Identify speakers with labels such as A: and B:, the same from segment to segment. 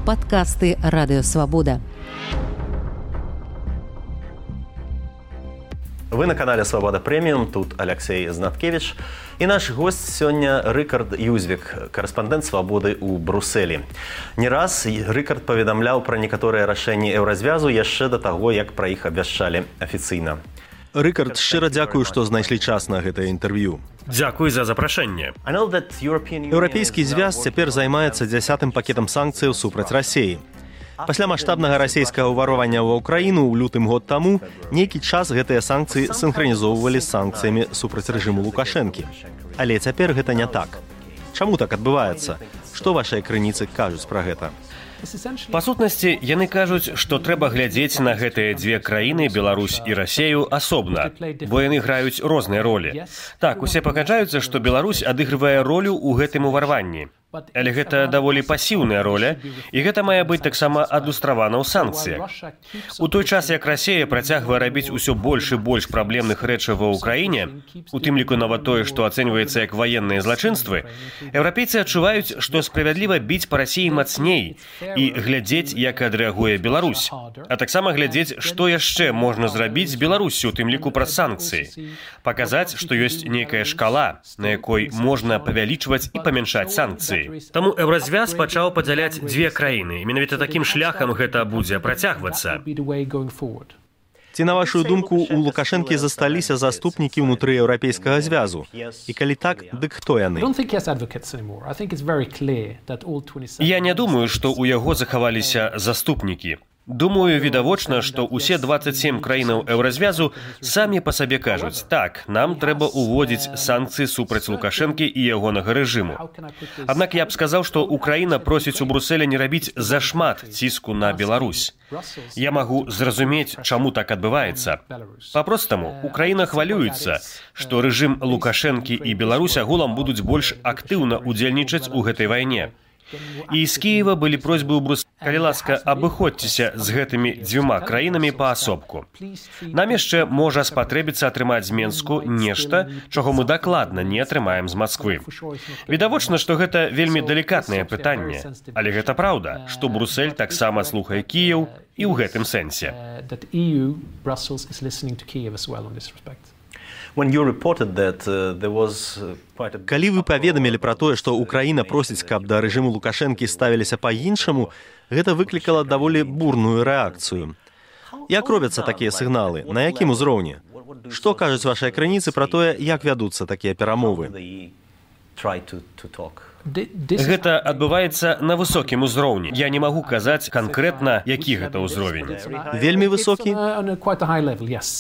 A: Падкасты Радыёвабода.
B: Вы на канале «Свобода Премиум», тут Алексей Знаткевич. И наш гость сегодня Рыкард Юзвик, корреспондент «Свободы» у Брюсселі. Не раз Рыкард поведомлял про некоторые решения Еўразвязу яшчэ до того, як про іх абвяшчалі афіцыйна.
C: Рыкард, шчыра дзякую, што знайшлі час на гэтае інтэрв'ю.
D: Дзякуй за запрашэнне.
C: Еўрапейскі звяз цяпер займаецца 10-м пакетам санкцыяў супраць Расіі. Пасля маштабнага расійскага ўварвання ва ўкраіну ў лютым год таму нейкі час гэтыя санкцыі сінхранізоўвалі з санкцыямі супраць рэжыму Лукашэнкі. Але цяпер гэта не так. Чаму так адбываецца? Што вашыя крыніцы кажуць пра гэта?
D: Па сутнасці, яны кажуць, што трэба глядзець на гэтыя дзве краіны, Беларусь і Расію, асобна, бо яны граюць розныя ролі. Так, усе пагаджаюцца, што Беларусь адыгрывае ролю ў гэтым уварванні. Але гэта даволі пасіўная роля, і гэта мае быць таксама адлюстравана ў санкцыях. У той час, як Расія працягвае рабіць усё больш і больш праблемных рэчаў ва ўкраіне, у тым ліку нават тое, што ацэньваецца як ваенныя злачынствы, еўрапейцы адчуваюць, што справядліва біць па Расіі мацней і глядзець, як адрэагуе Беларусь. А таксама глядзець, што яшчэ можна зрабіць з Беларусю, у тым ліку праз санкцыі. Паказаць, што ёсць нейкая шкала, на якой можна павялічваць і памяншаць санкцыі. Таму Еўразвяз пачаў падзяляць дзве краіны. Менавіта такім шляхам гэта будзе працягвацца.
C: Ці, на вашу думку, у Лукашэнкі засталіся заступнікі ўнутры Еўрапейскага звязу? І калі так, дык хто яны?
D: Я не думаю, што ў яго захаваліся заступнікі. Думаю, відавочна, што ўсе 27 краінаў Еўразвязу самі па сабе кажуць: так, нам трэба ўводзіць санкцыі супраць Лукашэнкі і ягонага рэжыму. Аднак я б сказаў, што Украіна просіць у Брюсселя не рабіць зашмат ціску на Беларусь. Я магу зразумець, чаму так адбываецца. Папростаму, Украіна хвалюецца, што рэжым Лукашэнкі і Беларусь агулам будуць больш актыўна ўдзельнічаць у гэтай вайне. І з Кіева былі просьбы ў Брюсселі: калі ласка, абыходзьцеся з гэтымі дзвюма краінамі паасобку. Нам яшчэ можа спатрэбіцца атрымаць з Менску нешта, чаго мы дакладна не атрымаем з Масквы. Відавочна, што гэта вельмі далікатнае пытанне, але гэта праўда, што Брюссель таксама слухае Кіеў і ў гэтым сэнсе.
C: Калі вы паведамілі пра тое, што Украіна просіць, каб да рэжыму Лукашэнкі ставіліся па-іншаму, гэта выклікала даволі бурную рэакцыю. Як робяцца такія сігналы? На якім узроўні? Што кажуць вашыя крыніцы пра тое, як вядуцца такія перамовы?
D: Гэта адбываецца на высокім узроўні. Я не магу казаць канкрэтна, які гэта ўзровень.
C: Вельмі высокі?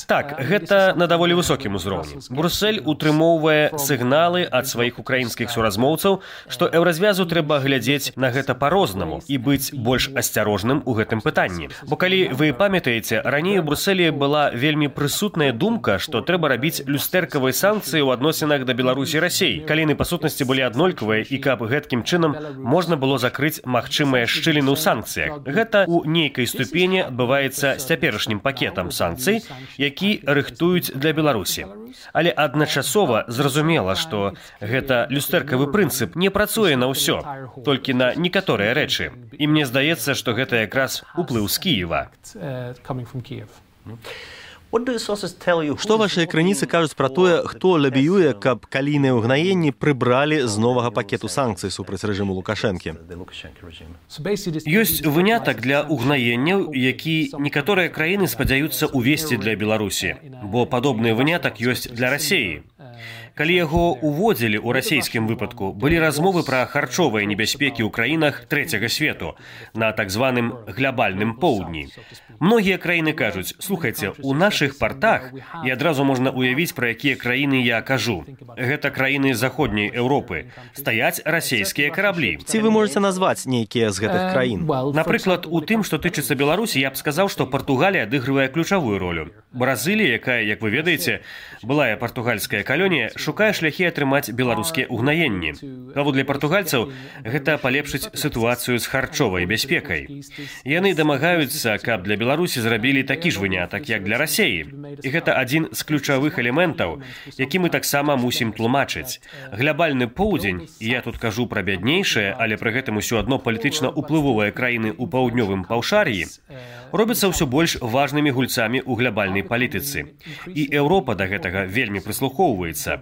D: Так, гэта на даволі высокім узроўні. Брюссель утрымоўвае сігналы ад сваіх украінскіх суразмоўцаў, што Еўразвязу трэба глядзець на гэта па-рознаму і быць больш асцярожным у гэтым пытанні. Бо калі вы памятаеце, раней у Брюсселі была вельмі прысутная думка, што трэба рабіць люстэркавыя санкцыі ў адносінах да Беларусі і Расіі. Калі па сутнасці былі аднолькавыя і каб гэткім чынам можна было закрыць магчымыя шчыліны ў санкцыях. Гэта ў нейкай ступені адбываецца з цяперашнім пакетам санкцый, які рыхтуюць для Беларусі. Але адначасова зразумела, што гэта люстэркавы прынцып не працуе на ўсё, толькі на некаторыя рэчы. І мне здаецца, што гэта якраз уплыў з Кіева.
C: Што вашыя крыніцы кажуць пра тое, хто лабіюе, каб калійныя ўгнаенні прыбралі з новага пакету санкцый супраць рэжыму Лукашэнкі?
D: Ёсць вынятак для ўгнаенняў, які некаторыя краіны спадзяюцца ўвесці для Беларусі, бо падобны вынятак ёсць для Расіі. Калі яго уводзілі ў расійскім выпадку, былі размовы пра харчовыя небяспекі ў краінах трэцяга свету, на так званым глобальным поўдні. Многія краіны кажуць: слухайце, у нашых партах, і адразу можна уявіць, пра якія краіны я кажу. Гэта краіны заходняй Еўропы. Стаяць расійскія караблі.
C: Ці вы можаце назваць нейкія з гэтых краін?
D: Напрыклад, у тым, што тычыцца Беларусі, я б сказаў, што Партугалія адыгрывае ключавую ролю. Бразылія, якая, як вы ведаеце, былая партугальская калонія, шукае шляхі атрымаць беларускія ўгнаенні. Паводле партугальцаў, гэта палепшыць сітуацыю з харчовай бяспекай. Яны дамагаюцца, каб для Беларусі зрабілі такі ж вынятак, як для Расеі. І гэта адзін з ключавых элементаў, які мы таксама мусім тлумачыць. Глябальны поўдзень, і я тут кажу пра бяднейшыя, але пры гэтым усё адно палітычна ўплывовыя краіны ў паўднёвым паўшар'і, робяцца ўсё больш важнымі гульцамі ў глябальнай палітыцы. І Еўропа да гэтага вельмі прыслухоўваецца.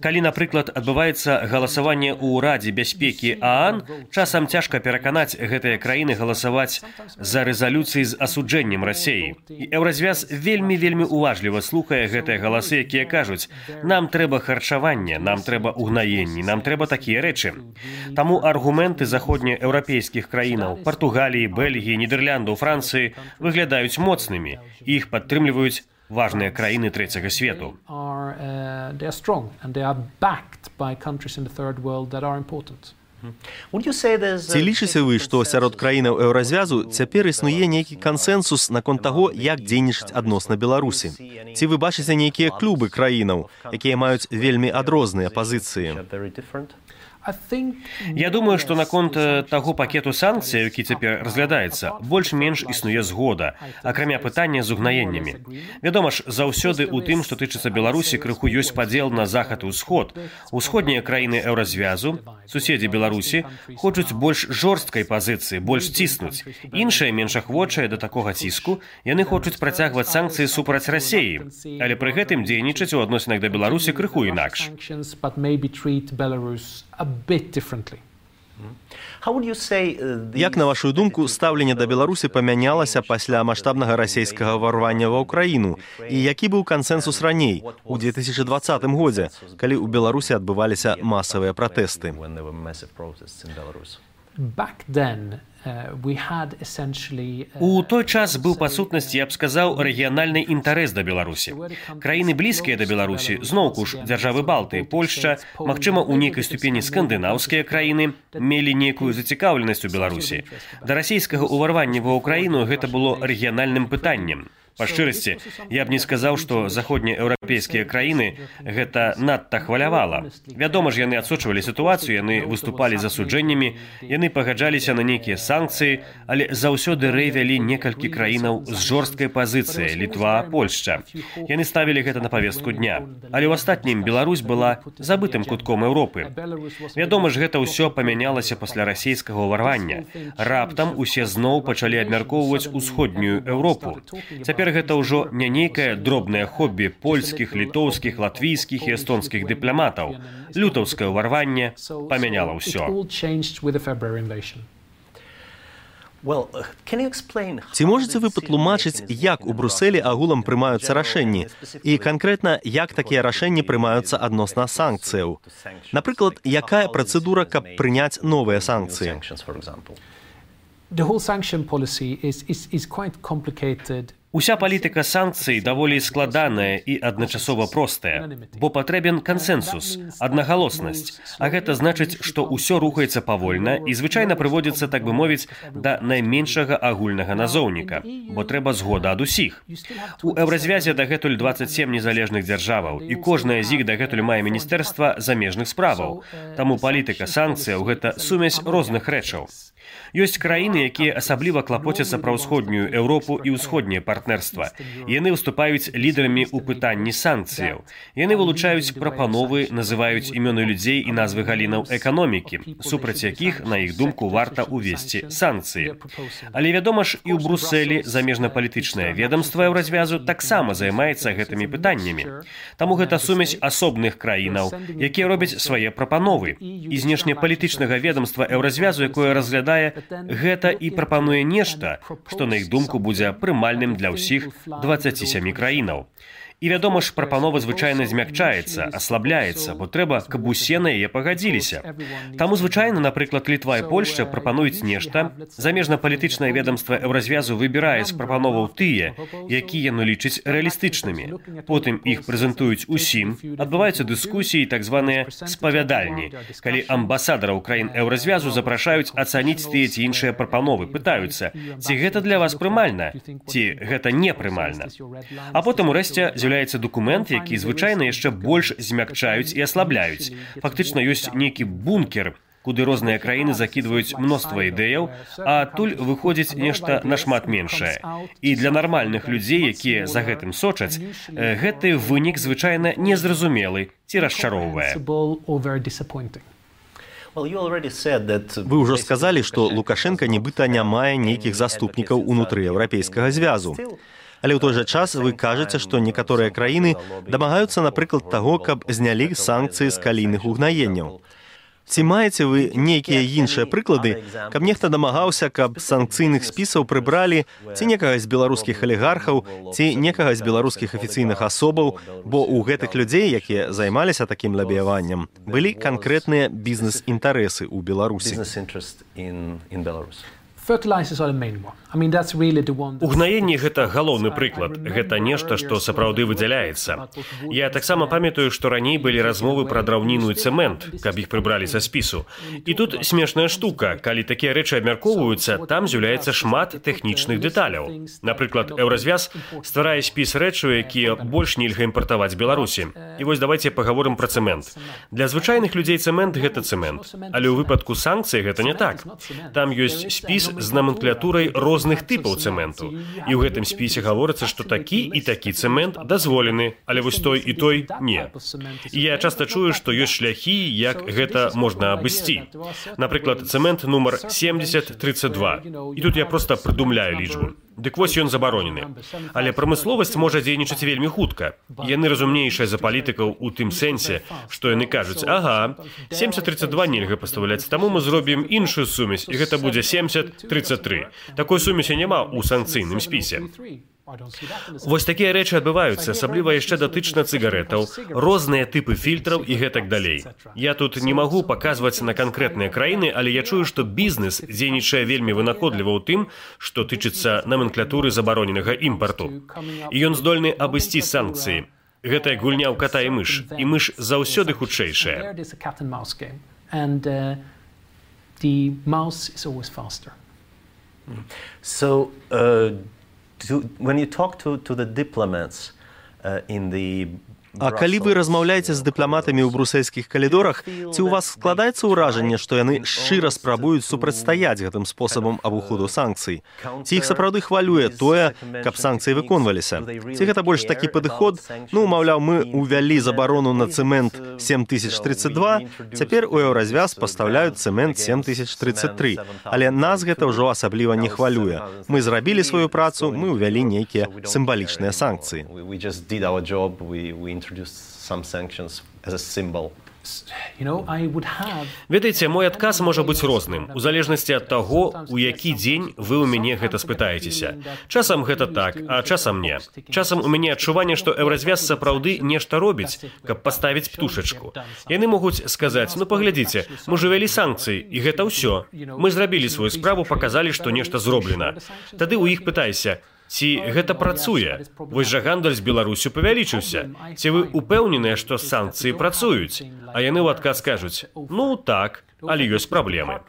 D: Калі, напрыклад, адбываецца галасаванне ў Радзе бяспекі ААН, часам цяжка пераканаць гэтыя краіны галасаваць за рэзалюцыі з асуджэннем Расеі. І Еўразвяз вельмі уважліва слухае гэтыя галасы, якія кажуць: нам трэба харчаванне, нам трэба ўгнаенні, нам трэба такія рэчы. Таму аргументы заходнееўрапейскіх краінаў, Партугаліі, Бельгіі, Нідерландаў, Францыі выглядаюць моцнымі, і іх падтрымліваюць важныя краіны трэцяга свету.
C: Ці лічыце вы, што сярод краінаў Еўразвязу цяпер існуе нейкі кансэнсус наконт таго, як дзейнічаць адносна Беларусі? Ці вы бачыце нейкія клубы краінаў, якія маюць вельмі адрозныя пазіцыі?
D: Я думаю, што наконт таго пакету санкцый, які цяпер разглядаецца, больш-менш існуе згода, акрамя пытання з угнаеннямі. Вядома ж, заўсёды ў тым, што тычыцца Беларусі, крыху ёсць падзел на захад і ўсход. Усходнія краіны Еўразвязу, суседзі Беларусі, хочуць больш жорсткай пазіцыі, больш ціснуць. Іншыя, менш ахвочыя да такога ціску, яны хочуць працягваць санкцыі супраць Расеі, але пры гэтым дзейнічаць у адносінах да Беларусі крыху інакш.
C: Як, на вашу думку, стаўленне да Беларусі памянялася пасля маштабнага расейскага ўварвання ва ўкраіну? І які быў кансэнсус раней, у 2020 годзе, калі ў Беларусі адбываліся масавыя пратэсты?
D: У той час быў, па сутнасці, я б сказаў, рэгіянальны інтарэс да Беларусі. Краіны блізкія да Беларусі, зноўку ж дзяржавы Балты, Польшча, магчыма, у нейкай ступені скандынаўскія краіны мелі нейкую зацікаўленасць у Беларусі. Да расійскага ўварвання ва ўкраіну гэта было рэгіянальным пытаннем. Па шчырасці, я б не сказаў, што заходнееўрапейскія краіны гэта надта хвалявала. Вядома ж, яны адсочвалі сітуацыю, яны выступалі з асуджэннямі, яны пагаджаліся на нейкія санкцыі, але заўсёды рэй вялі некалькі краінаў з жорсткай пазіцыяй, Літва, Польшча. Яны ставілі гэта на павестку дня. Але ў астатнім Беларусь была забытым кутком Еўропы. Вядома ж, гэта ўсё памянялася пасля расейскага ўварвання. Раптам усе зноў пачалі абмяркоўваць усходнюю Еўропу. Цяпер гэта ўжо не нейкае дробнае хобі польскіх, літоўскіх, латвійскіх і эстонскіх дыпламатаў. Лютаўскае ўварванне памяняла ўсё.
C: Ці можаце вы патлумачыць, як у Брусэлі агулам прымаюцца рашэнні? І канкрэтна, як такія рашэнні прымаюцца адносна санкцыяў? Напрыклад, якая працэдура, каб прыняць новыя санкцыі?
D: Уся палітыка санкцый даволі складаная і адначасова простая, бо патрэбен кансэнсус, аднагалоснасць, а гэта значыць, што ўсё рухаецца павольна і звычайна прыводзіцца, так бы мовіць, да найменшага агульнага назоўніка, бо трэба згода ад усіх. У Еўразвязе дагэтуль 27 незалежных дзяржаваў, і кожная з іх дагэтуль мае міністэрства замежных справаў. Таму палітыка санкцыяў – гэта сумесь розных рэчаў. Ёсць краіны, якія асабліва клапоцяцца пра ўсходнюю Еўропу і ўсходняе партнерства. Яны выступаюць лідарамі ў пытанні санкцыяў. Яны вылучаюць прапановы, называюць імёны людзей і назвы галінаў эканомікі, супраць якіх, на іх думку, варта ўвесці санкцыі. Але, вядома ж, і ў Брусэлі замежнапалітычнае ведамства Еўразвязу таксама займаецца гэтымі пытаннямі. Таму гэта сумесь асобных краінаў, якія робяць свае прапановы. І знешнепалітычнага ведамства Еўразвязу, якое разглядае гэта і прапануе нешта, што, на іх думку, будзе прымальным для ўсіх 27 краінаў. І, вядома ж, прапанова звычайна змякчаецца, аслабляецца, бо трэба, каб усе на яе пагадзіліся. Таму звычайна, напрыклад, Літва і Польшча прапануюць нешта, замежнапалітычнае ведамства Еўразвязу выбірае з прапановаў тыя, якія яно лічыць рэалістычнымі. Потым іх прэзентуюць усім, адбываюцца дыскусіі, так званыя спавядальні, калі амбасадараў краін Еўразвязу запрашаюць ацаніць тыя ці іншыя прапановы, пытаюцца, ці гэта для вас прымальна, ці гэта непрымальна. А потым, урэшце, з'яўляецца з'яўляецца дакумент, які звычайна яшчэ больш змякчаюць і аслабляюць. Фактычна ёсць нейкі бункер, куды розныя краіны закідваюць мноства ідэяў, а адтуль выходзіць нешта нашмат меншае. І для нармальных людзей, якія за гэтым сочаць, гэты вынік звычайна незразумелы ці расчароўвае.
C: Вы ўжо сказалі, што Лукашенка нібыта не мае нейкіх заступнікаў унутры Еўрапейскага звязу. Але ў той жа час вы кажаце, што некаторыя краіны дамагаюцца, напрыклад, таго, каб знялі санкцыі з калійных угнаенняў. Ці маеце вы нейкія іншыя прыклады, каб нехта дамагаўся, каб з санкцыйных спісаў прыбралі ці некага з беларускіх алігархаў, ці некага з беларускіх афіцыйных асобаў, бо ў гэтых людзей, якія займаліся такім лабіяваннем, былі канкрэтныя бізнес-інтарэсы ў Беларусі.
D: Угнаенне – гэта галоўны прыклад. Гэта нешта, што сапраўды выдзяляецца. Я таксама памятаю, што раней былі размовы пра драўніну і цэмент, каб іх прыбралі са спісу. І тут смешная штука. Калі такія рэчы абмяркоўваюцца, там з'яўляецца шмат тэхнічных дэталяў. Напрыклад, Еўразвяз стварае спіс рэчаў, якія больш нельга імпартаваць з Беларусі. І вось давайце пагаворым пра цэмент. Для звычайных людзей цэмент – гэта цэмент. Але ў выпадку санкцый гэта не так. Там ёсць спіс з наменклатурай розных типаў цэменту. І ў гэтым спісе гаворыцца, што такі і такі цэмент дазволены, але вось той і той не. І я часта чую, што ёсць шляхі, як гэта можна абысці. Напрыклад, цэмент нумар 7032. І тут я проста прыдумляю лічбу. Дык вось ён забаронены. Але прамысловасць можа дзейнічаць вельмі хутка. Яны разумнейшыя за палітыкаў у тым сэнсе, што яны кажуць: ага, 7032 нельга пастаўляць, таму мы зробім іншую сумесь, і гэта будзе 7033. Такой сумесі няма ў санкцыйным спісе. Вось такія рэчы адбываюцца, асабліва яшчэ датычна цыгарэтаў, розныя тыпы фільтраў і гэтак далей. Я тут не магу паказваць на канкрэтныя краіны, але я чую, што бізнес дзейнічае вельмі вынаходліва ў тым, што тычыцца наменклатуры забароненага імпарту. І ён здольны абысці санкцыі. Гэта як гульня ў ката і мыш заўсёды хутчэйшая.
B: When you talk to the diplomats in the
C: А калі вы размаўляеце з дыпламатамі ў брусельскіх калідорах, ці ў вас складаецца ўражанне, што яны шчыра спрабуюць супрацьстаяць гэтым спосабам абыходу санкцый? Ці іх сапраўды хвалюе тое, каб санкцыі выконваліся? Ці гэта больш такі падыход? Ну, маўляў, мы ўвялі забарону на цэмент 7032, цяпер у Еўразвяз пастаўляюць цэмент 7033. Але нас гэта ўжо асабліва не хвалюе. Мы зрабілі сваю працу, мы ўвялі нейкія сімвалічныя санкцыі.
B: Some sanctions as a symbol.
D: Ведаеце, мой адказ можа быць розным, у залежнасці ад таго, у які дзень вы ў мяне гэта спытаецеся. Часам гэта так, а часам не. Часам у мяне адчуванне, што Еўразвяз сапраўды нешта робіць, каб паставіць птушачку. Яны могуць сказаць: ну паглядзіце, мы ж увялі санкцыі, і гэта ўсё. Мы зрабілі сваю справу, паказалі, што нешта зроблена. Тады ў іх пытайся: ці гэта працуе? Вось жа гандаль з Беларусю павялічыўся. Ці вы упэўненыя, што санкцыі працуюць? А яны ў адказ кажуць: ну так, але ёсць праблемы.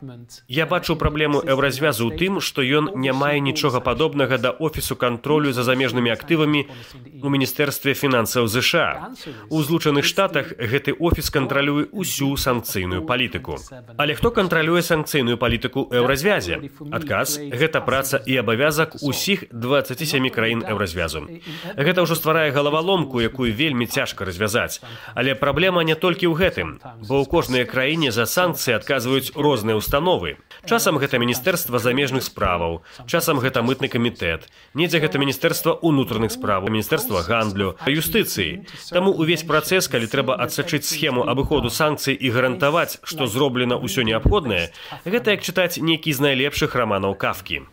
D: Я бачу праблему Еўразвязу ў тым, што ён не мае нічога падобнага да офісу кантролю за замежнымі актывамі у Міністэрстве фінансаў ЗША. У Злучаных Штатах гэты офіс кантралюе ўсю санкцыйную палітыку. Але хто кантралюе санкцыйную палітыку ў Еўразвязе? Адказ – гэта праца і абавязак усіх 27 краін Еўразвязу. Гэта ўжо стварае галаваломку, якую вельмі цяжка развязаць. Але праблема не толькі ў гэтым, бо ў кожнай краіне за санкцыі адказваюць розныя установы. Часам гэта Міністэрства замежных справаў, часам гэта мытны камітэт, недзе гэта Міністэрства ўнутраных справаў, Міністэрства гандлю, юстыцыі. Таму увесь працэс, калі трэба адсачыць схему абыходу санкцый і гарантаваць, што зроблена ўсё неабходнае, гэта як чытаць нейкі з найлепшых раманаў Кафкі.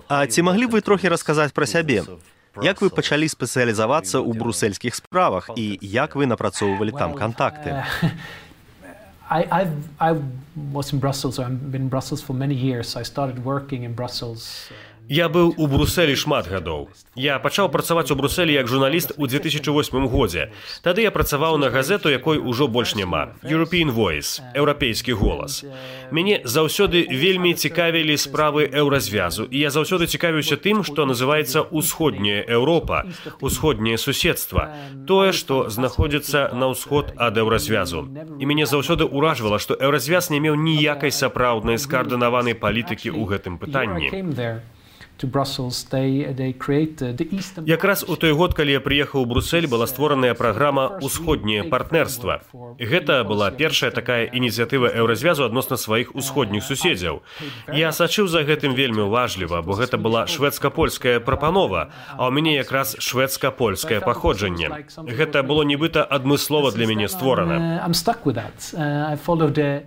C: А ці маглі б вы трохі расказаць пра сябе? Як вы пачалі спецыялізавацца ў брусельскіх справах і як вы напрацоўвалі там кантакты?
E: I was in Brussels, I've been in Brussels for many years. I started working in Brussels.
D: Я быў у Брусэлі шмат гадоў. Я пачаў працаваць у Брусэлі як журналіст у 2008 годзе. Тады я працаваў на газету, якой ужо больш няма. European Voice, еўрапейскі голас. Мяне заўсёды вельмі цікавілі справы еўразвязу, і я заўсёды цікавіўся тым, што называецца усходняя Еўропа, усходняе суседства, тое, што знаходзіцца на ўсход ад еўразвязу. І мяне заўсёды ўражвала, што еўразвяз не меў ніякай сапраўднай скаардынаванай палітыкі ў гэтым пытанні. Якраз у той год, калі я прыехаў у Брусель, была створаная праграма «Усходняе партнерства». Гэта была першая такая ініцыятыва еўразвязу адносна сваіх усходніх суседзяў. Я сачыў за гэтым вельмі уважліва, бо гэта была шведска-польская прапанова, а ў мяне якраз шведска-польскае паходжанне. Гэта было нібыта адмыслова для мяне створана.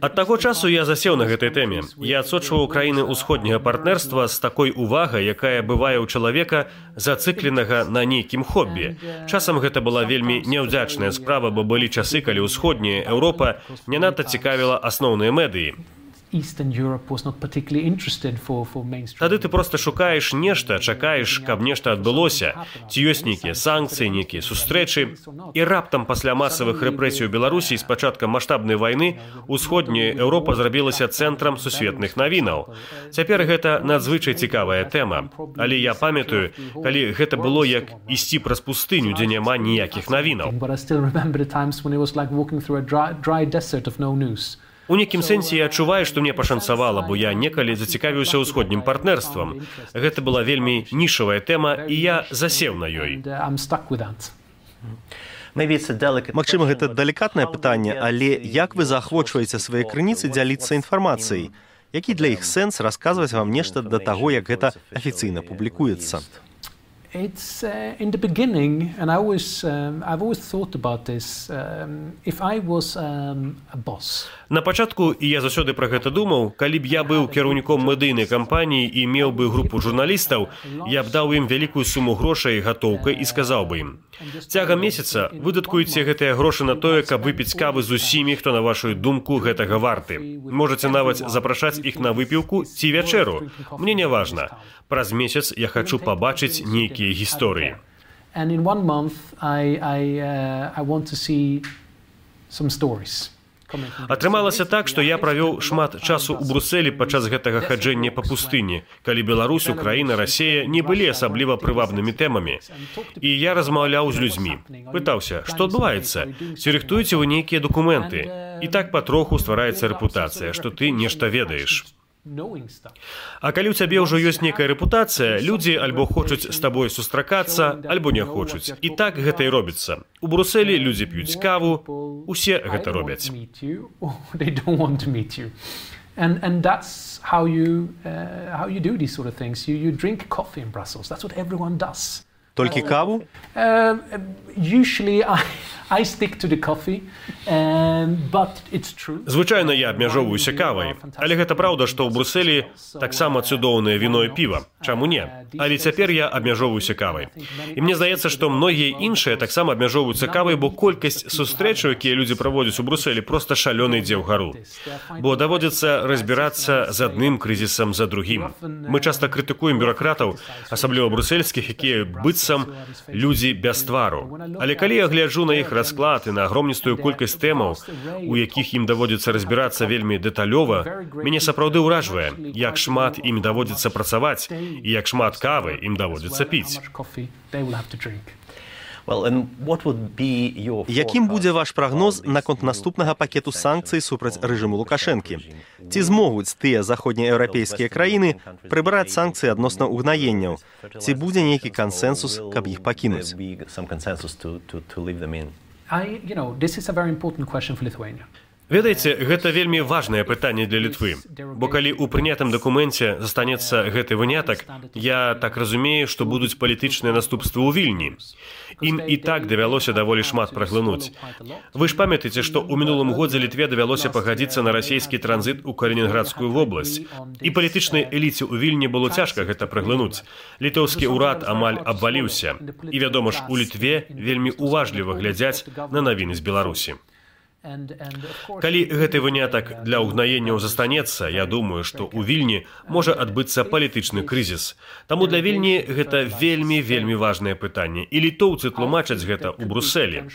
D: Ад таго часу я засеў на гэтай тэме. Я адсочваў краіны усходняга партнерства з такой увагай, якая бывае ў чалавека, зацыкленага на нейкім хоббі. Часам гэта была вельмі няўдзячная справа, бо былі часы, калі ўсходняя Еўропа не надта цікавіла асноўныя медыі. Тады ты проста шукаеш нешта, чакаеш, каб нешта адбылося, ці ёсць нейкія санкцыі, нейкія сустрэчы, і раптам пасля масавых рэпрэсій у Беларусі з пачаткам маштабнай вайны усходняя Еўропа зрабілася цэнтрам сусветных навінаў. Цяпер гэта надзвычай цікавая тэма, але я памятаю, калі гэта было як ісці праз пустыню, дзе няма ніякіх навінаў. У нейкім сэнсе я адчуваю, што мне пашанцавала, бо я некалі зацікавіўся ўсходнім партнерствам. Гэта была вельмі нішавая тэма, і я засеў на ёй.
C: Магчыма, гэта далікатнае пытанне, але як вы заахвочваеце свае крыніцы дзяліцца інфармацыяй? Які для іх сэнс расказваць вам нешта да таго, як гэта афіцыйна публікуецца?
E: It's in the beginning, and I've always thought about this. If I was a boss.
D: На пачатку, і я заўсёды пра гэта думаў, калі б я быў кіраўніком медыйнай кампаніі і меў бы групу журналістаў, я б даў ім вялікую суму грошай гатоўкай і сказаў бы ім: цягам месяца выдаткуйце гэтыя грошы на тое, каб выпіць кавы з усімі, хто на вашу думку гэтага варты. Можаце нават запрашаць іх на выпіўку ці вячэру. Мне не важна. Праз месяц я хачу пабачыць нейкія гісторыі.
E: And in 1 month I want to see some stories.
D: Атрымалася так, што я правёў шмат часу ў Брусэлі падчас гэтага хаджэння па пустыні, калі Беларусь, Украіна, Расія не былі асабліва прывабнымі тэмамі. І я размаўляў з людзьмі. Пытаўся, што адбываецца? Ці рыхтуеце вы нейкія дакументы? І так патроху ствараецца рэпутацыя, што ты нешта ведаеш. А калі ў цябе ўжо ёсць нейкая рэпутацыя, людзі альбо хочуць з табой сустракацца, альбо не хочуць. І так гэта і робіцца. У Брусэлі людзі п'юць каву, усе гэта робяць.
E: And that's how you do these sort of things. You drink coffee in Brussels. That's what everyone does.
C: Толькі каву?
E: Usually I stick to the coffee, but it's true.
D: Звычайна я абмяжоўваюся кавай, але гэта праўда, што ў Брусэлі таксама цудоўнае віно і піва. Чаму не? Але цяпер я абмяжоўваюся кавай. І мне здаецца, што многія іншыя таксама абмяжоўваюцца кавай, бо колькасць сустрэчаў, якія людзі праводзяць у Брусэлі, проста шалёна ідзе ўгару. Бо даводзіцца разбірацца з адным крызісам за другім. Мы часта крытыкуем бюракратаў, асабліва брусельскіх, якія быццам людзі без твару. Але калі я гляджу на іх расклад і на агромністую колькасць тэмаў, у якіх ім даводзіцца разбірацца вельмі дэталёва, мяне сапраўды ўражвае, як шмат ім даводзіцца працаваць і як шмат кавы ім даводзіцца піць.
C: Якім будзе ваш прагноз наконт наступнага пакету санкцый супраць рэжыму Лукашэнкі? Ці змогуць тыя заходнееўрапейскія краіны прыбраць санкцыі адносна угнаенняў? Ці будзе нейкі кансэнсус, каб іх пакінуць?
D: Ведаеце, гэта вельмі важнае пытанне для Літвы, бо калі ў прынятым дакуменце застанецца гэты вынятак, я так разумею, што будуць палітычныя наступствы ў Вільні. Ім і так давялося даволі шмат праглынуць. Вы ж памятаеце, што ў мінулым годзе Літве давялося пагадзіцца на расійскі транзіт у Калінінградскую вобласць. І палітычнай эліце ў Вільні было цяжка гэта праглынуць. Літоўскі ўрад амаль абваліўся. І, вядома ж, у Літве вельмі уважліва глядзяць на навіны з Беларусі. Калі гэты вынятак для ўгнаенняў застанецца, я думаю, што ў Вільні можа адбыцца палітычны крызіс. Таму для Вільні гэта вельмі важнае пытанне. І літоўцы тлумачаць гэта ў Брусэлі.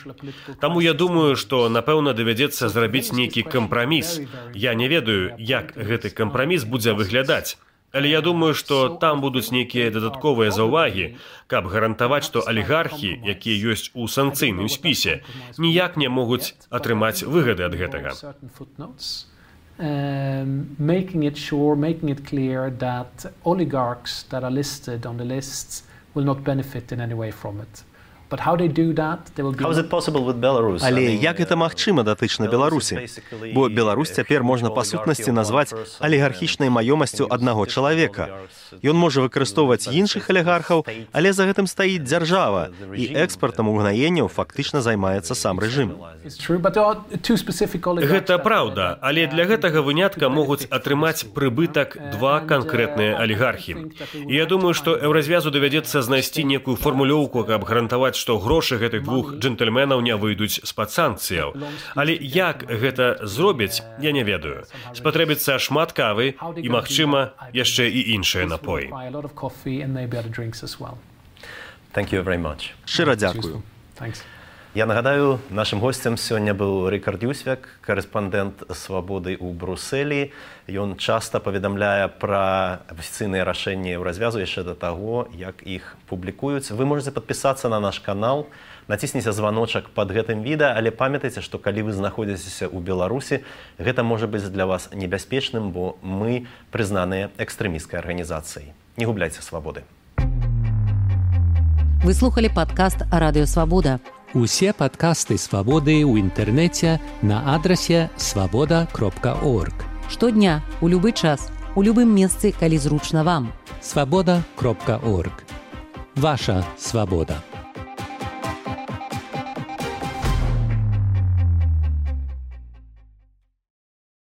D: Таму я думаю, што, напэўна, давядзецца зрабіць нейкі кампраміс. Я не ведаю, як гэты кампраміс будзе выглядаць. Але я думаю, што там будуць нейкія дадатковыя заўвагі, каб гарантаваць, што алігархі, якія ёсць у санкцыйным спісе, ніяк не могуць атрымаць выгады ад гэтага.
E: Making it clear that oligarchs that are listed on the lists will not benefit in any way from it. But how they do that, they will be...
B: How is it possible with Belarus?
C: Але як гэта магчыма датычна Беларусі? Бо Беларусь цяпер можна па сутнасці назваць алігархічнай маёмасцю аднаго чалавека. Ён можа выкарыстоўваць іншых алігархаў, але за гэтым стаіць дзяржава, і экспартам угнаенняў фактычна займаецца сам рэжым.
D: Гэта праўда, але для гэтага вынятка могуць атрымаць прыбытак два канкрэтныя алігархі. І я думаю, што Еўразвязу давядзецца знайсці некую фармулёўку, каб гарантаваць, што грошы гэтых двух джентльменаў не выйдуць з-пад санкцыяў. Але як гэта зробяць, я не ведаю. Спатрэбіцца шмат кавы і, магчыма, яшчэ і іншыя напоі.
C: Шчыра дзякую.
B: Я нагадаю, нашым госцем сёння быў Рыкард Юзвяк, карэспандэнт «Свабоды» ў Брусэлі. Ён часта паведамляе пра афіцыйныя рашэнні Еўразвязу яшчэ да таго, як іх публікуюць. Вы можете падпісацца на наш канал, націсніце званочак пад гэтым відэа, але памятайце, што калі вы знаходзіцеся ў Беларусі, гэта можа быць для вас небяспечным, бо мы прызнаныя экстрэмісцкай арганізацыяй. Не губляйце свабоды.
A: Вы слухали падкаст «Радыё Свабода».
F: Усе падкасты «Свабоды» ў інтэрнэце на адрасе свабода.орг.
A: Штодня, у любы час, у любым месцы, калі зручна вам.
F: Свабода.орг. Ваша свабода.